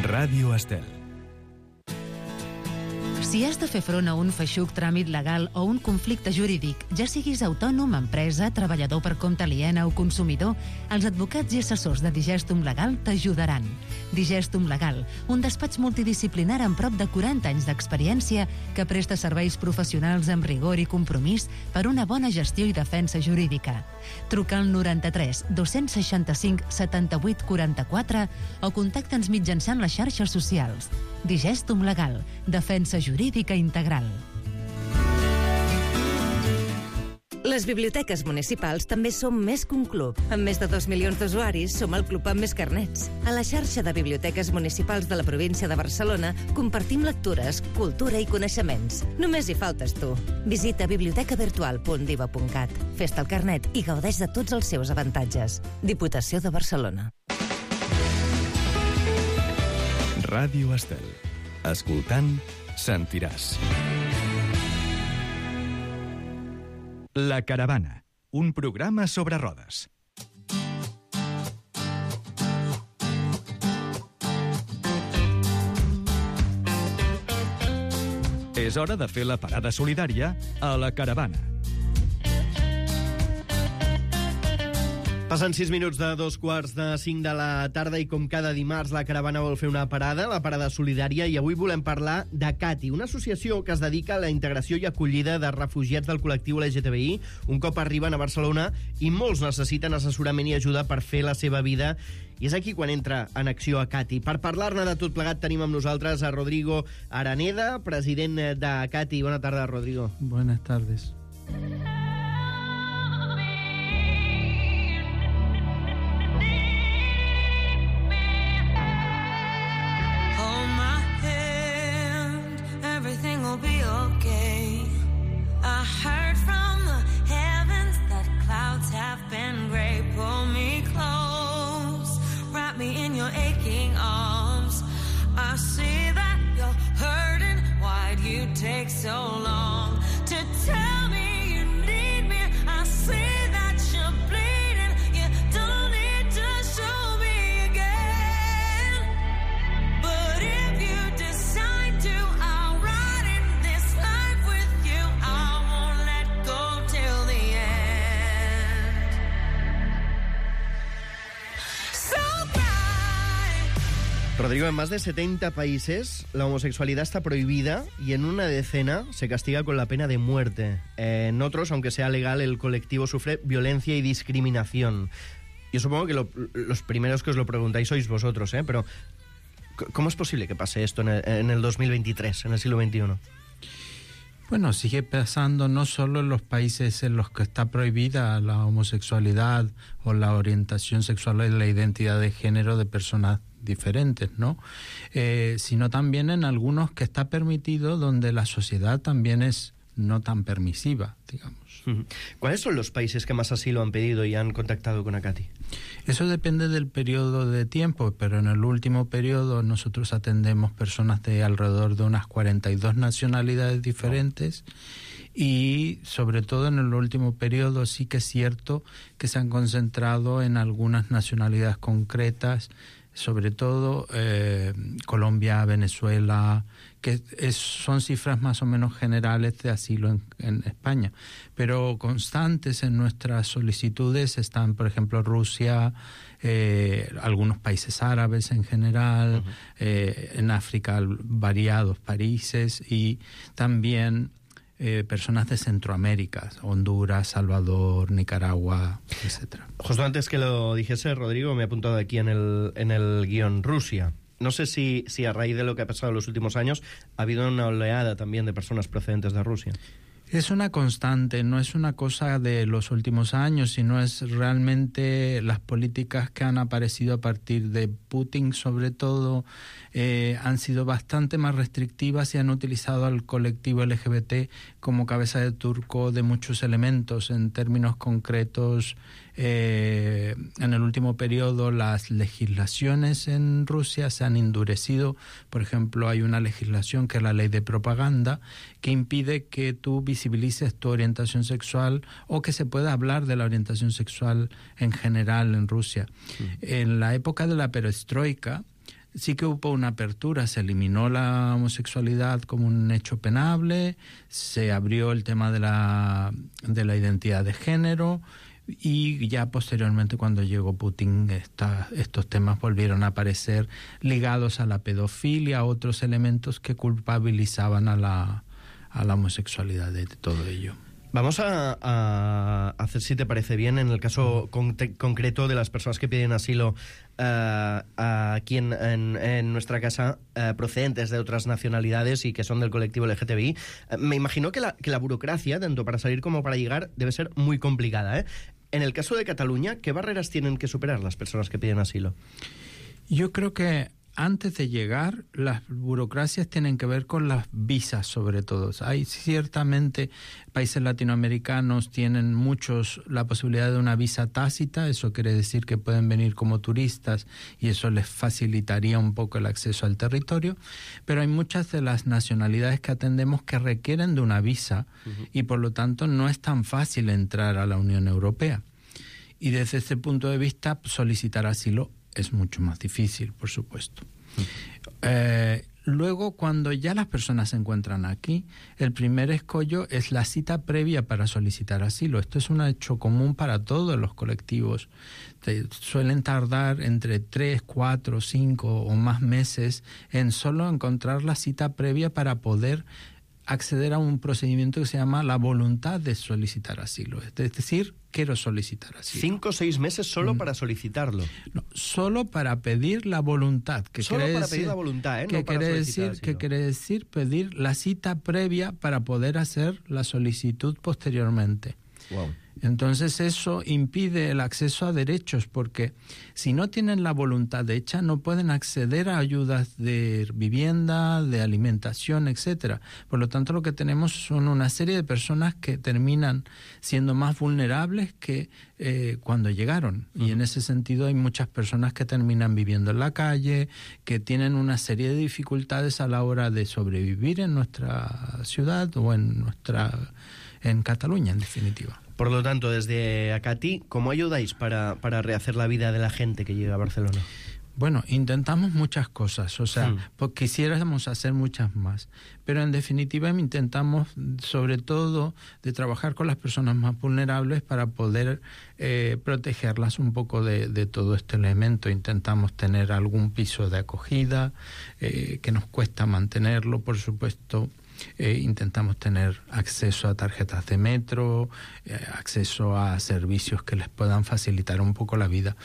Ràdio Estel. Si has de fer front a un feixuc tràmit legal o un conflicte jurídic, ja siguis autònom, empresa, treballador per compte aliena o consumidor, els advocats i assessors de Digestum Legal t'ajudaran. Digestum Legal, un despatx multidisciplinar amb prop de quaranta anys d'experiència que presta serveis professionals amb rigor i compromís per una bona gestió i defensa jurídica. Truca al noranta-tres dos-cents seixanta-cinc setanta-vuit quaranta-quatre o contacta'ns mitjançant les xarxes socials. Digestum Legal, defensa jurídica integral. Les biblioteques municipals també som més que un club. Amb més de dos milions d'usuaris, som el club amb més carnets. A la xarxa de biblioteques municipals de la província de Barcelona compartim lectures, cultura i coneixements. Només hi faltes tu. Visita biblioteca virtual punt diva punt cat. Fes-te el carnet i gaudeix de tots els seus avantatges. Diputació de Barcelona. Ràdio Estel. Escoltant, sentiràs. La Caravana, un programa sobre rodes. És hora de fer la parada solidària a la caravana. Passen sis minuts de dos quarts de cinc de la tarda i com cada dimarts la caravana vol fer una parada, la parada solidària, i avui volem parlar de Cati, una associació que es dedica a la integració i acollida de refugiats del col·lectiu L G T B I. Un cop arriben a Barcelona i molts necessiten assessorament i ajuda per fer la seva vida. I és aquí quan entra en acció a Cati. Per parlar-ne de tot plegat tenim amb nosaltres a Rodrigo Araneda, president de Cati. Bona tarda, Rodrigo. Buenas tardes. Take so long to tell me you need me. I see that you're bleeding. You don't need to show me again. But if you decide to, I'll ride in this life with you. I won't let go till the end. So bright. Rodrigo, en más de setenta países la homosexualidad está prohibida y en una decena se castiga con la pena de muerte. Eh, en otros, aunque sea legal, el colectivo sufre violencia y discriminación. Yo supongo que lo, los primeros que os lo preguntáis sois vosotros, ¿eh? Pero ¿cómo es posible que pase esto en el, en el dos mil veintitrés, en el siglo veintiuno? Bueno, sigue pasando no solo en los países en los que está prohibida la homosexualidad o la orientación sexual y la identidad de género de personas diferentes, ¿no? Eh, sino también en algunos que está permitido, donde la sociedad también es no tan permisiva, digamos. ¿Cuáles son los países que más asilo han pedido y han contactado con Acati? Eso depende del periodo de tiempo, pero en el último periodo nosotros atendemos personas de alrededor de unas cuarenta y dos nacionalidades diferentes. Oh. Y sobre todo en el último periodo sí que es cierto que se han concentrado en algunas nacionalidades concretas, sobre todo eh, Colombia, Venezuela, que es, son cifras más o menos generales de asilo en, en España. Pero constantes en nuestras solicitudes están, por ejemplo, Rusia, eh, algunos países árabes en general, uh-huh. eh, en África variados países y también Eh, personas de Centroamérica, Honduras, Salvador, Nicaragua, etcétera. Justo antes que lo dijese, Rodrigo, me he apuntado aquí en el, en el guión Rusia. No sé si, si a raíz de lo que ha pasado en los últimos años ha habido una oleada también de personas procedentes de Rusia. Es una constante, no es una cosa de los últimos años, sino es realmente las políticas que han aparecido a partir de Putin, sobre todo, eh, han sido bastante más restrictivas y han utilizado al colectivo L G B T como cabeza de turco de muchos elementos. En términos concretos, eh, en el último periodo las legislaciones en Rusia se han endurecido. Por ejemplo, hay una legislación que es la ley de propaganda que impide que tú visibilices tu orientación sexual o que se pueda hablar de la orientación sexual en general en Rusia. Sí. En la época de la perestroika sí que hubo una apertura, se eliminó la homosexualidad como un hecho penable, se abrió el tema de la, de la identidad de género y ya posteriormente cuando llegó Putin esta, estos temas volvieron a aparecer ligados a la pedofilia, a otros elementos que culpabilizaban a la a la homosexualidad de todo ello. Vamos a, a hacer, si te parece bien, en el caso con, concreto de las personas que piden asilo uh, aquí en, en, en nuestra casa, uh, procedentes de otras nacionalidades y que son del colectivo L G T B I. Uh, me imagino que la, que la burocracia, tanto para salir como para llegar, debe ser muy complicada, ¿eh? En el caso de Cataluña, ¿qué barreras tienen que superar las personas que piden asilo? Yo creo que antes de llegar, las burocracias tienen que ver con las visas, sobre todo. Hay ciertamente países latinoamericanos tienen muchos la posibilidad de una visa tácita, eso quiere decir que pueden venir como turistas y eso les facilitaría un poco el acceso al territorio, pero hay muchas de las nacionalidades que atendemos que requieren de una visa uh-huh. y por lo tanto no es tan fácil entrar a la Unión Europea. Y desde ese punto de vista, solicitar asilo es mucho más difícil, por supuesto. Uh-huh. Eh, Luego, cuando ya las personas se encuentran aquí, el primer escollo es la cita previa para solicitar asilo. Esto es un hecho común para todos los colectivos. Te suelen tardar entre tres, cuatro, cinco o más meses en solo encontrar la cita previa para poder acceder a un procedimiento que se llama la voluntad de solicitar asilo. Es decir, quiero solicitar asilo. Cinco o seis meses solo Mm. para solicitarlo. No, solo para pedir la voluntad. Que Solo quiere para decir, pedir la voluntad, ¿eh? Que, No para quiere solicitar decir, que asilo. quiere decir pedir la cita previa para poder hacer la solicitud posteriormente. Wow. Entonces eso impide el acceso a derechos, porque si no tienen la voluntad hecha no pueden acceder a ayudas de vivienda, de alimentación, etcétera. Por lo tanto, lo que tenemos son una serie de personas que terminan siendo más vulnerables que eh, cuando llegaron. Uh-huh. Y en ese sentido hay muchas personas que terminan viviendo en la calle, que tienen una serie de dificultades a la hora de sobrevivir en nuestra ciudad o en nuestra en Cataluña, en definitiva. Por lo tanto, desde Acati, ¿cómo ayudáis para, para rehacer la vida de la gente que llega a Barcelona? Bueno, intentamos muchas cosas, o sea, Hmm. pues quisiéramos hacer muchas más, pero en definitiva intentamos sobre todo de trabajar con las personas más vulnerables para poder eh, protegerlas un poco de, de todo este elemento. Intentamos tener algún piso de acogida, eh, que nos cuesta mantenerlo, por supuesto. Eh, intentamos tener acceso a tarjetas de metro, eh, acceso a servicios que les puedan facilitar un poco la vida.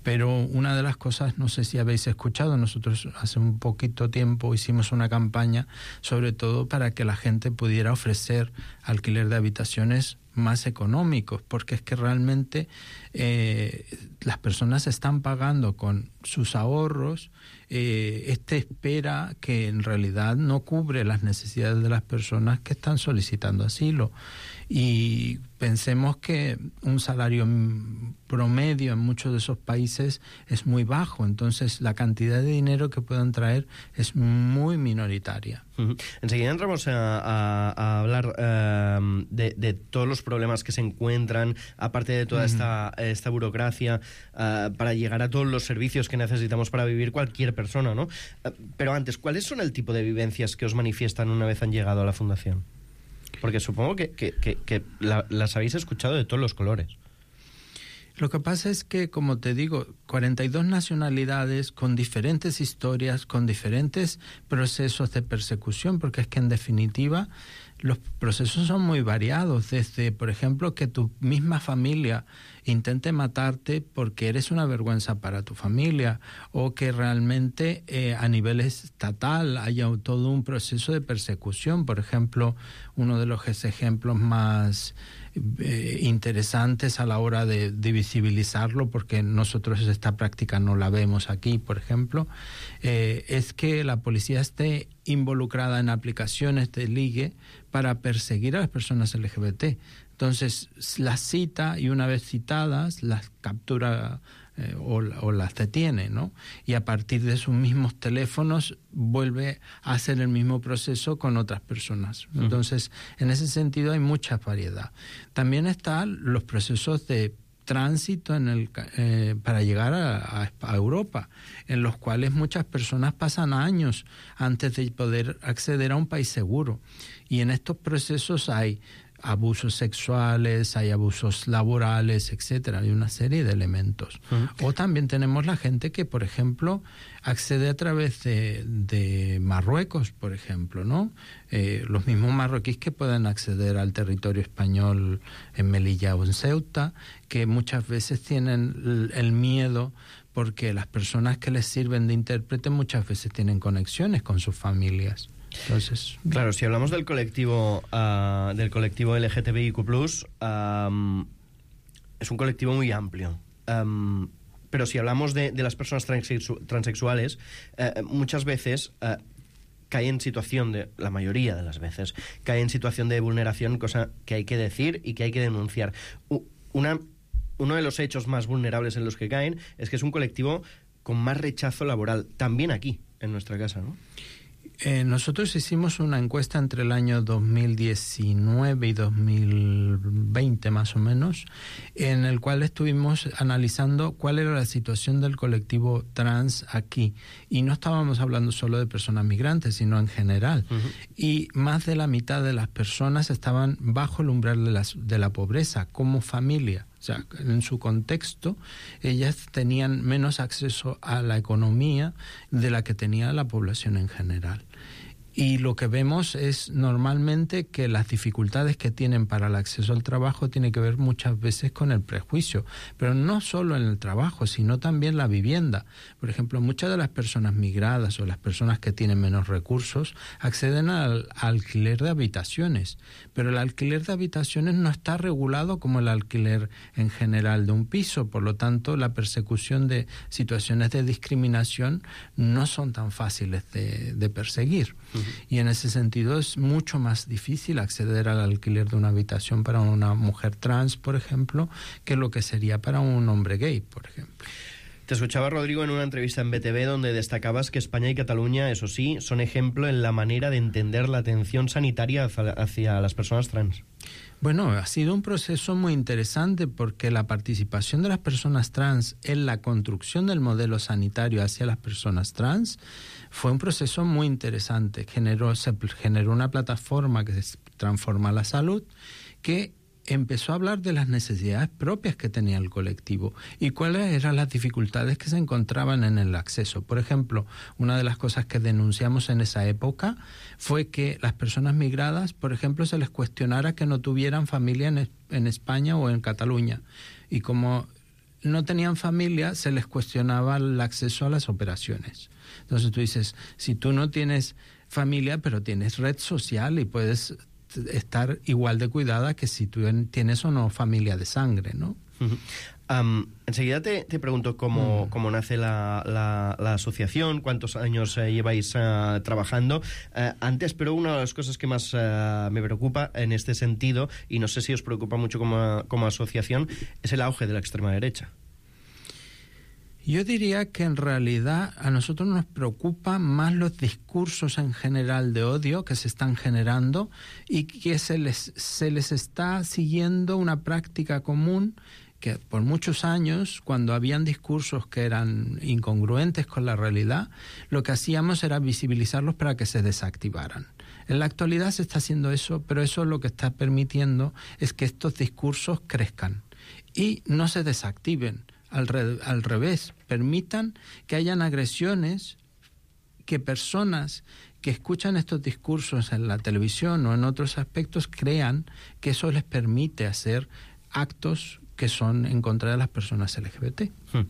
Pero una de las cosas, no sé si habéis escuchado, nosotros hace un poquito tiempo hicimos una campaña sobre todo para que la gente pudiera ofrecer alquiler de habitaciones más económicos, porque es que realmente eh, las personas están pagando con sus ahorros eh, este espera que en realidad no cubre las necesidades de las personas que están solicitando asilo. Y pensemos que un salario promedio en muchos de esos países es muy bajo, entonces la cantidad de dinero que puedan traer es muy minoritaria. Uh-huh. Enseguida entramos a, a, a hablar uh, de, de todos los problemas que se encuentran, aparte de toda uh-huh. esta, esta burocracia, uh, para llegar a todos los servicios que necesitamos para vivir cualquier persona, ¿no? Uh, pero antes, ¿cuáles son el tipo de vivencias que os manifiestan una vez han llegado a la Fundación? Porque supongo que, que, que, que la, las habéis escuchado de todos los colores. Lo que pasa es que, como te digo, cuarenta y dos nacionalidades con diferentes historias, con diferentes procesos de persecución, porque es que en definitiva los procesos son muy variados, desde, por ejemplo, que tu misma familia intente matarte porque eres una vergüenza para tu familia, o que realmente eh, a nivel estatal haya todo un proceso de persecución. Por ejemplo, uno de los ejemplos más eh, interesantes a la hora de, de visibilizarlo, porque nosotros esta práctica no la vemos aquí, por ejemplo, eh, es que la policía esté involucrada en aplicaciones de ligue para perseguir a las personas L G B T. Entonces, las cita y una vez citadas, las captura eh, o, o las detiene, ¿no? Y a partir de sus mismos teléfonos vuelve a hacer el mismo proceso con otras personas. Entonces, uh-huh. en ese sentido hay mucha variedad. También están los procesos de tránsito en el, eh, para llegar a, a, a Europa, en los cuales muchas personas pasan años antes de poder acceder a un país seguro. Y en estos procesos hay abusos sexuales, hay abusos laborales, etcétera. Hay una serie de elementos. Uh-huh. O también tenemos la gente que, por ejemplo, accede a través de, de Marruecos, por ejemplo, ¿no? Eh, los mismos marroquíes que pueden acceder al territorio español en Melilla o en Ceuta, que muchas veces tienen el, el miedo porque las personas que les sirven de intérprete muchas veces tienen conexiones con sus familias. Entonces, claro, si hablamos del colectivo uh, del colectivo L G T B I Q plus, um, es un colectivo muy amplio. Um, pero si hablamos de, de las personas transexu- transexuales, uh, muchas veces uh, caen en situación de, la mayoría de las veces, caen en situación de vulneración, cosa que hay que decir y que hay que denunciar. U- una, uno de los hechos más vulnerables en los que caen es que es un colectivo con más rechazo laboral, también aquí, en nuestra casa, ¿no? Eh, nosotros hicimos una encuesta entre el año dos mil diecinueve y dos mil veinte más o menos, en el cual estuvimos analizando cuál era la situación del colectivo trans aquí. Y no estábamos hablando solo de personas migrantes, sino en general. Uh-huh. Y más de la mitad de las personas estaban bajo el umbral de la, de la pobreza como familia. O sea, en su contexto, ellas tenían menos acceso a la economía de la que tenía la población en general. Y lo que vemos es normalmente que las dificultades que tienen para el acceso al trabajo tienen que ver muchas veces con el prejuicio, pero no solo en el trabajo, sino también la vivienda. Por ejemplo, muchas de las personas migradas o las personas que tienen menos recursos acceden al, al alquiler de habitaciones, pero el alquiler de habitaciones no está regulado como el alquiler en general de un piso, por lo tanto la persecución de situaciones de discriminación no son tan fáciles de, de perseguir. Uh-huh. Y en ese sentido es mucho más difícil acceder al alquiler de una habitación para una mujer trans, por ejemplo, que lo que sería para un hombre gay, por ejemplo. Te escuchaba, Rodrigo, en una entrevista en B T V donde destacabas que España y Cataluña, eso sí, son ejemplo en la manera de entender la atención sanitaria hacia las personas trans. Bueno, ha sido un proceso muy interesante porque la participación de las personas trans en la construcción del modelo sanitario hacia las personas trans fue un proceso muy interesante. Generó, se generó una plataforma que se transforma la salud, que empezó a hablar de las necesidades propias que tenía el colectivo y cuáles eran las dificultades que se encontraban en el acceso. Por ejemplo, una de las cosas que denunciamos en esa época fue que las personas migradas, por ejemplo, se les cuestionara que no tuvieran familia en, en España o en Cataluña. Y como no tenían familia, se les cuestionaba el acceso a las operaciones. Entonces tú dices, si tú no tienes familia, pero tienes red social y puedes estar igual de cuidada que si tú tienes o no familia de sangre, ¿no? Uh-huh. Um, enseguida te, te pregunto cómo, mm. cómo nace la, la, la asociación, cuántos años eh, lleváis uh, trabajando. Uh, antes, pero una de las cosas que más uh, me preocupa en este sentido, y no sé si os preocupa mucho como, como asociación, es el auge de la extrema derecha. Yo diría que en realidad a nosotros nos preocupan más los discursos en general de odio que se están generando y que se les, se les está siguiendo una práctica común que por muchos años, cuando habían discursos que eran incongruentes con la realidad, lo que hacíamos era visibilizarlos para que se desactivaran. En la actualidad se está haciendo eso, pero eso lo que está permitiendo es que estos discursos crezcan y no se desactiven. Al, re, al revés, permitan que hayan agresiones, que personas que escuchan estos discursos en la televisión o en otros aspectos crean que eso les permite hacer actos que son en contra de las personas L G B T. Hmm.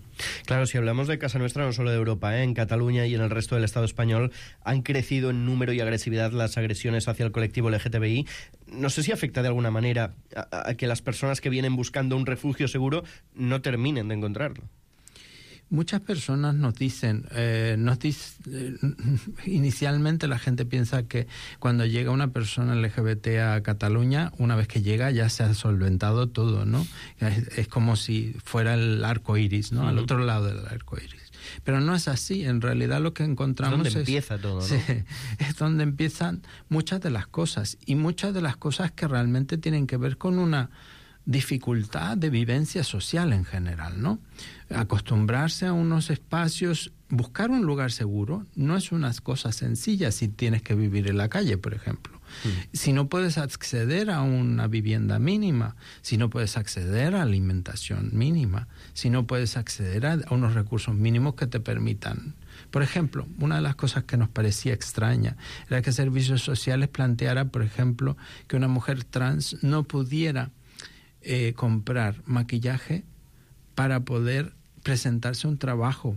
Claro, si hablamos de casa nuestra, no solo de Europa, ¿eh? En Cataluña y en el resto del Estado español han crecido en número y agresividad las agresiones hacia el colectivo L G T B I. No sé si afecta de alguna manera a, a que las personas que vienen buscando un refugio seguro no terminen de encontrarlo. Muchas personas nos dicen, eh, nos dice, eh, inicialmente la gente piensa que cuando llega una persona L G B T a Cataluña, una vez que llega ya se ha solventado todo, ¿no? Es, es como si fuera el arco iris, ¿no? Uh-huh. Al otro lado del arco iris. Pero no es así, en realidad lo que encontramos es... donde empieza todo, ¿no? Sí, es donde empiezan muchas de las cosas, y muchas de las cosas que realmente tienen que ver con una dificultad de vivencia social en general, ¿no? Acostumbrarse a unos espacios, buscar un lugar seguro, no es una cosa sencilla si tienes que vivir en la calle, por ejemplo. Mm. Si no puedes acceder a una vivienda mínima, si no puedes acceder a alimentación mínima, si no puedes acceder a, a unos recursos mínimos que te permitan. Por ejemplo, una de las cosas que nos parecía extraña era que Servicios Sociales planteara, por ejemplo, que una mujer trans no pudiera Eh, comprar maquillaje para poder presentarse a un trabajo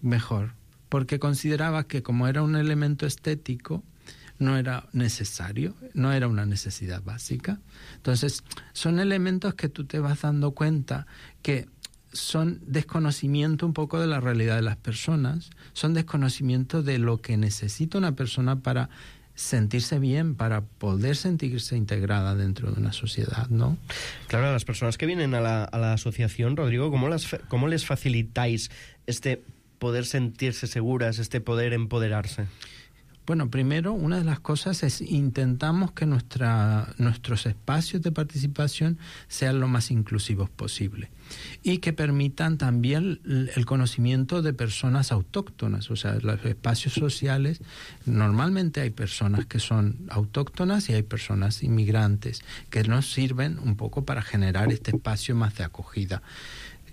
mejor, porque consideraba que como era un elemento estético no era necesario, no era una necesidad básica. Entonces son elementos que tú te vas dando cuenta que son desconocimiento un poco de la realidad de las personas, son desconocimiento de lo que necesita una persona para sentirse bien, para poder sentirse integrada dentro de una sociedad, ¿no? Claro, a las personas que vienen a la, a la asociación, Rodrigo, ¿cómo, las, ¿cómo les facilitáis este poder sentirse seguras, este poder empoderarse? Bueno, primero, una de las cosas es intentamos que nuestra, nuestros espacios de participación sean lo más inclusivos posible y que permitan también el conocimiento de personas autóctonas. O sea, los espacios sociales, normalmente hay personas que son autóctonas y hay personas inmigrantes que nos sirven un poco para generar este espacio más de acogida.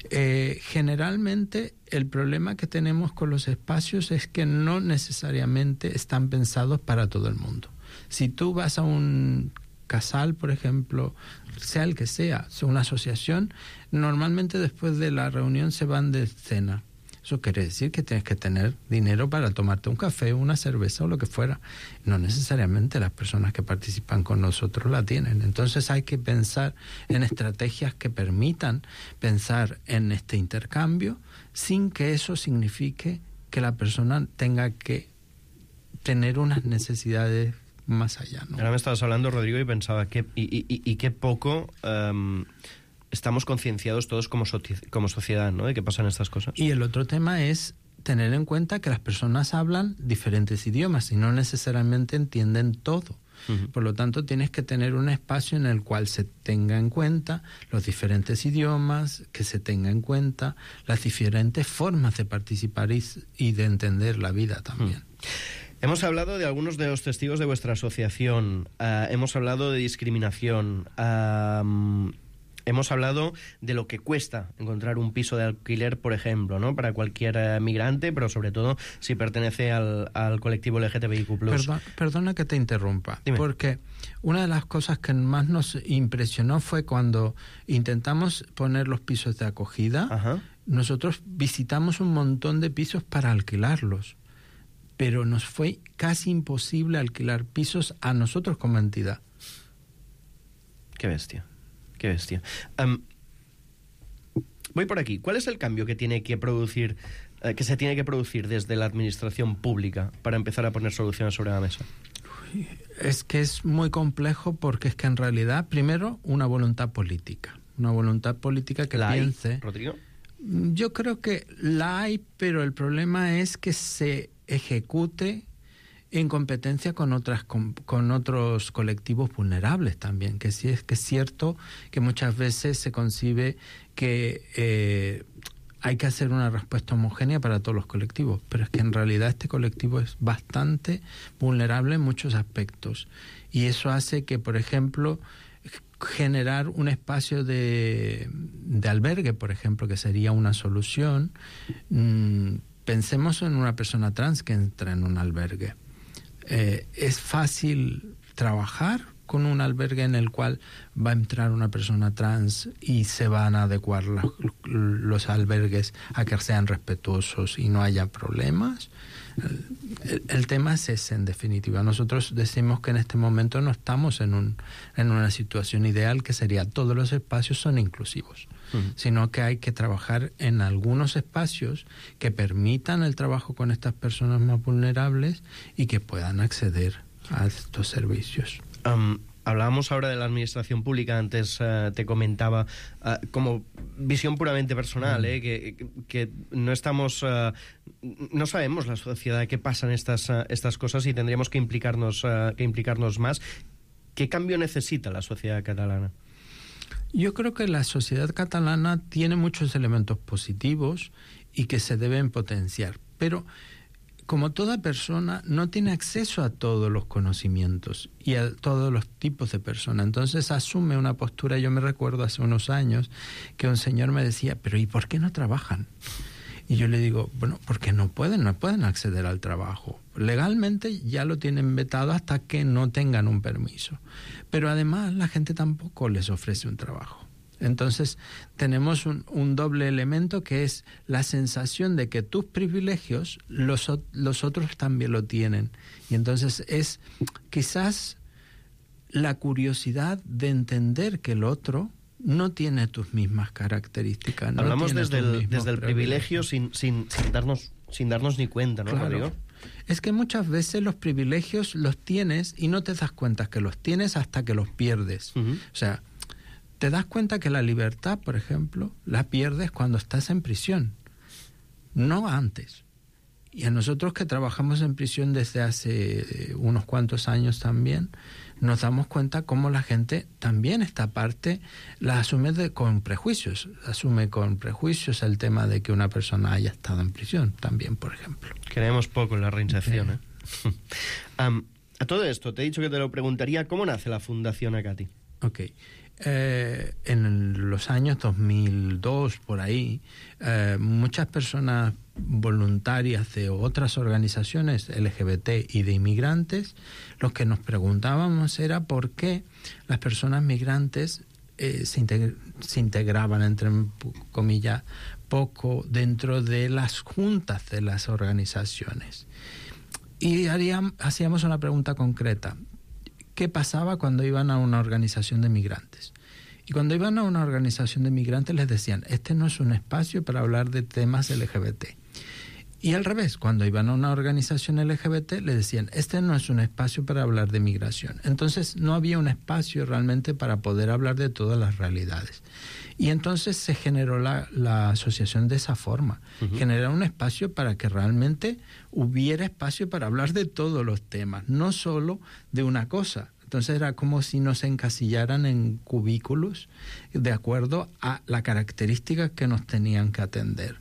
Eh, generalmente el problema que tenemos con los espacios es que no necesariamente están pensados para todo el mundo. Si tú vas a un casal, por ejemplo, sea el que sea, sea una asociación, normalmente después de la reunión se van de cena. Eso quiere decir que tienes que tener dinero para tomarte un café, una cerveza o lo que fuera. No necesariamente las personas que participan con nosotros la tienen. Entonces hay que pensar en estrategias que permitan pensar en este intercambio sin que eso signifique que la persona tenga que tener unas necesidades más allá, ¿no? Ahora me estabas hablando, Rodrigo, y pensaba que y, y, y qué poco um, estamos concienciados todos como, so como sociedad, ¿no?, de que pasan estas cosas. Y el otro tema es tener en cuenta que las personas hablan diferentes idiomas y no necesariamente entienden todo. Uh-huh. Por lo tanto, tienes que tener un espacio en el cual se tenga en cuenta los diferentes idiomas, que se tenga en cuenta las diferentes formas de participar y, y de entender la vida también. Uh-huh. Hemos hablado de algunos de los testigos de vuestra asociación, uh, hemos hablado de discriminación, uh, hemos hablado de lo que cuesta encontrar un piso de alquiler, por ejemplo, ¿no?, para cualquier uh, migrante, pero sobre todo si pertenece al, al colectivo L G T B I Q plus. Perdón, perdona que te interrumpa, Dime. Porque una de las cosas que más nos impresionó fue cuando intentamos poner los pisos de acogida. Ajá. Nosotros visitamos un montón de pisos para alquilarlos, pero nos fue casi imposible alquilar pisos a nosotros como entidad. Qué bestia, qué bestia. Um, voy por aquí. ¿Cuál es el cambio que tiene que producir, eh, que se tiene que producir desde la administración pública para empezar a poner soluciones sobre la mesa? Uy, es que es muy complejo porque es que en realidad, primero, una voluntad política. Una voluntad política que ¿La piense... hay, Rodrigo? Yo creo que la hay, pero el problema es que se ejecute en competencia con otras con, con otros colectivos vulnerables también, que sí es que es cierto que muchas veces se concibe que eh, hay que hacer una respuesta homogénea para todos los colectivos, pero es que en realidad este colectivo es bastante vulnerable en muchos aspectos y eso hace que, por ejemplo, generar un espacio de, de albergue, por ejemplo, que sería una solución. Mmm, Pensemos en una persona trans que entra en un albergue. Eh, ¿Es fácil trabajar con un albergue en el cual va a entrar una persona trans y se van a adecuar los, los albergues a que sean respetuosos y no haya problemas? El, el tema es ese, en definitiva. Nosotros decimos que en este momento no estamos en, un, en una situación ideal, que sería todos los espacios son inclusivos. Uh-huh. Sino que hay que trabajar en algunos espacios que permitan el trabajo con estas personas más vulnerables y que puedan acceder a estos servicios. Um, hablábamos ahora de la administración pública, antes uh, te comentaba uh, como visión puramente personal, mm. eh, que, que no estamos, uh, no sabemos la sociedad qué pasan estas, uh, estas cosas y tendríamos que implicarnos, uh, que implicarnos más. ¿Qué cambio necesita la sociedad catalana? Yo creo que la sociedad catalana tiene muchos elementos positivos y que se deben potenciar, pero como toda persona no tiene acceso a todos los conocimientos y a todos los tipos de personas, entonces asume una postura. Yo me recuerdo hace unos años que un señor me decía, pero ¿y por qué no trabajan? Y yo le digo, bueno, porque no pueden, no pueden acceder al trabajo. Legalmente ya lo tienen vetado hasta que no tengan un permiso. Pero además la gente tampoco les ofrece un trabajo. Entonces tenemos un, un doble elemento, que es la sensación de que tus privilegios los, los otros también lo tienen. Y entonces es quizás la curiosidad de entender que el otro no tiene tus mismas características. No Hablamos desde el, desde el privilegio sin, sin, sin, darnos, sin darnos ni cuenta, ¿no, claro. Rodrigo? Es que muchas veces los privilegios los tienes y no te das cuenta que los tienes hasta que los pierdes. Uh-huh. O sea, te das cuenta que la libertad, por ejemplo, la pierdes cuando estás en prisión, no antes. Y a nosotros que trabajamos en prisión desde hace unos cuantos años también, nos damos cuenta cómo la gente también esta parte la asume de, con prejuicios. Asume con prejuicios el tema de que una persona haya estado en prisión también, por ejemplo. Creemos poco en la reinserción, ¿eh? um, a todo esto, te he dicho que te lo preguntaría, ¿cómo nace la Fundación Acati? Ok. Eh, en los años dos mil dos, por ahí, eh, muchas personas voluntarias de otras organizaciones L G B T y de inmigrantes, lo que nos preguntábamos era por qué las personas migrantes eh, se, integ- se integraban, entre comillas, poco dentro de las juntas de las organizaciones. Y haríamos, hacíamos una pregunta concreta. ¿Qué pasaba cuando iban a una organización de migrantes? Y cuando iban a una organización de migrantes les decían, este no es un espacio para hablar de temas L G B T. Y al revés, cuando iban a una organización L G B T les decían, este no es un espacio para hablar de migración. Entonces no había un espacio realmente para poder hablar de todas las realidades. Y entonces se generó la, la asociación de esa forma. Uh-huh. Generar un espacio para que realmente hubiera espacio para hablar de todos los temas, no solo de una cosa. Entonces era como si nos encasillaran en cubículos de acuerdo a la característica que nos tenían que atender.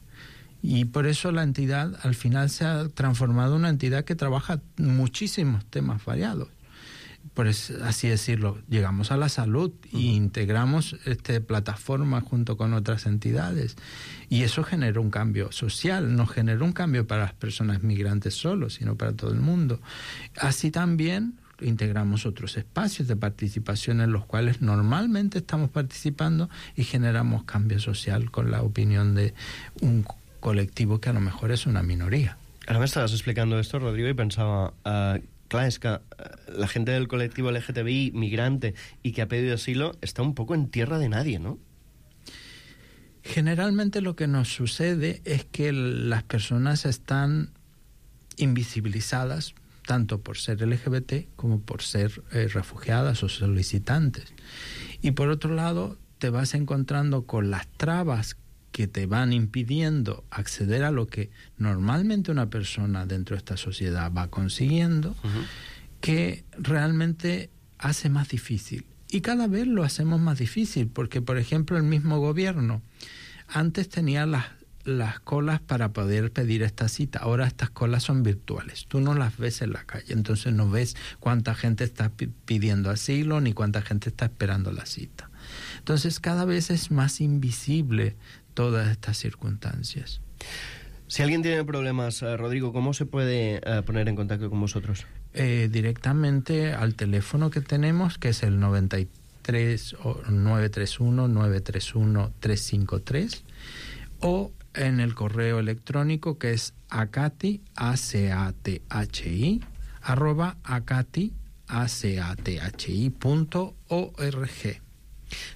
Y por eso la entidad al final se ha transformado en una entidad que trabaja muchísimos temas variados. Por así decirlo, llegamos a la salud e integramos este, plataformas junto con otras entidades. Y eso genera un cambio social, no genera un cambio para las personas migrantes solo, sino para todo el mundo. Así también integramos otros espacios de participación en los cuales normalmente estamos participando y generamos cambio social con la opinión de un colectivo que a lo mejor es una minoría. Ahora me estabas explicando esto, Rodrigo, y pensaba... Uh... Claro, es que la gente del colectivo L G T B I migrante y que ha pedido asilo está un poco en tierra de nadie, ¿no? Generalmente lo que nos sucede es que las personas están invisibilizadas tanto por ser L G B T como por ser eh, refugiadas o solicitantes. Y por otro lado, te vas encontrando con las trabas que te van impidiendo acceder a lo que normalmente una persona dentro de esta sociedad va consiguiendo, uh-huh. que realmente hace más difícil. Y cada vez lo hacemos más difícil, porque, por ejemplo, el mismo gobierno antes tenía las, las colas para poder pedir esta cita. Ahora estas colas son virtuales. Tú no las ves en la calle, entonces no ves cuánta gente está pidiendo asilo ni cuánta gente está esperando la cita. Entonces cada vez es más invisible todas estas circunstancias. Si alguien tiene problemas, eh, Rodrigo, ¿cómo se puede eh, poner en contacto con vosotros? Eh, directamente al teléfono que tenemos, que es el noventa y tres nueve tres uno nueve tres uno tres cinco tres, o en el correo electrónico que es acati, a c a t h i, arroba acati, a c a t h i punto org.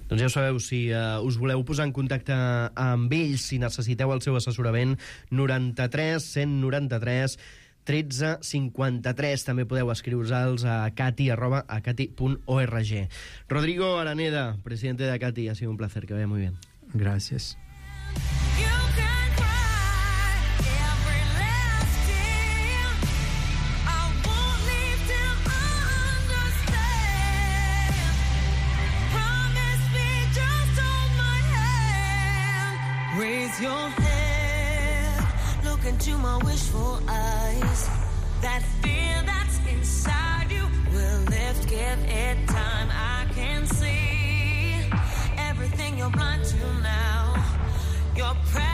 Doncs ja ho sabeu, si uh, us voleu posar en contacte amb ells, si necessiteu el seu assessorament, noranta-tres cent noranta-tres tretze cinquanta-tres. També podeu escriure-los a acati arroba acati punt org. Rodrigo Araneda, presidente de Acati, ha sido un placer, que vaya muy bien. Gracias. Raise your head, look into my wishful eyes. That fear that's inside you will lift, give it time. I can see everything you're blind to now. Your presence